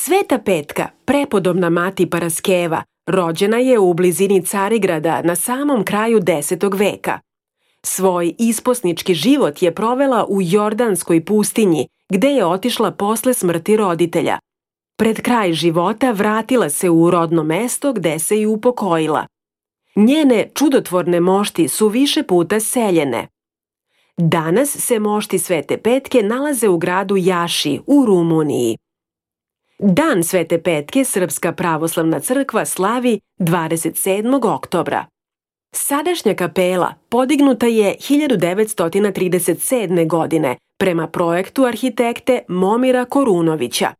Sveta Petka, prepodobna mati Paraskeva, rođena je u blizini Carigrada na samom kraju 10. veka. Svoj isposnički život je provela u Jordanskoj pustinji, gde je otišla posle smrti roditelja. Pred kraj života vratila se u rodno mesto gde se i upokojila. Njene čudotvorne mošti su više puta seljene. Danas se mošti Svete Petke nalaze u gradu Jaši u Rumuniji. Dan Svete Petke Srpska pravoslavna crkva slavi 27. oktobra. Sadašnja kapela podignuta je 1937. godine prema projektu arhitekte Momira Korunovića.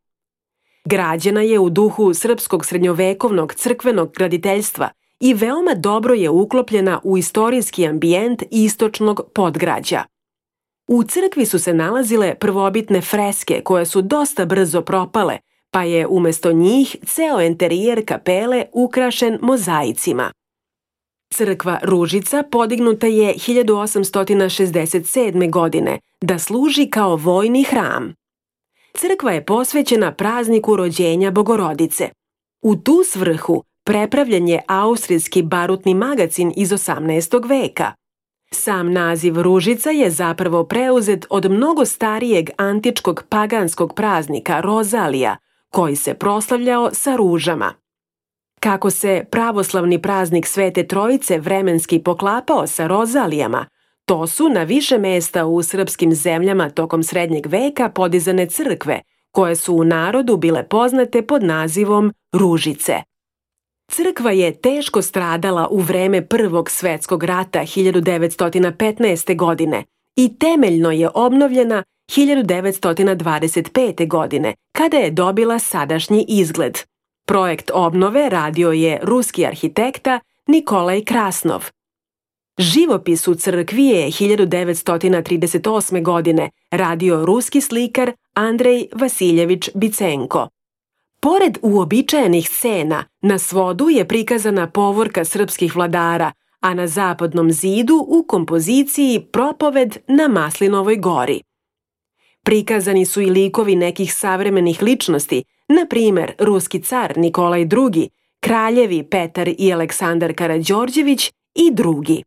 Građena je u duhu srpskog srednjovekovnog crkvenog graditeljstva i veoma dobro je uklopljena u istorijski ambijent istočnog podgrađa. U crkvi su se nalazile prvobitne freske koje su dosta brzo propale, pa je umesto njih ceo enterijer kapele ukrašen mozaicima. Crkva Ružica podignuta je 1867. godine da služi kao vojni hram. Crkva je posvećena prazniku rođenja Bogorodice. U tu svrhu prepravljen je austrijski barutni magacin iz 18. veka. Sam naziv Ružica je zapravo preuzet od mnogo starijeg antičkog paganskog praznika Rozalija, koji se proslavljao sa ružama. Kako se pravoslavni praznik Svete Trojice vremenski poklapao sa rozalijama, to su na više mesta u srpskim zemljama tokom srednjeg veka podizane crkve, koje su u narodu bile poznate pod nazivom Ružice. Crkva je teško stradala u vreme Prvog svetskog rata 1915. godine i temeljno je obnovljena 1925. godine, kada je dobila sadašnji izgled. Projekt obnove radio je ruski arhitekta Nikolaj Krasnov. Živopis u crkvi je 1938. godine radio ruski slikar Andrej Vasiljević Bicenko. Pored uobičajenih scena, na svodu je prikazana povorka srpskih vladara, a na zapadnom zidu u kompoziciji propoved na Maslinovoj gori. Prikazani su i likovi nekih savremenih ličnosti, na primer ruski car Nikolaj II, kraljevi Petar i Aleksandar Karađorđević i drugi.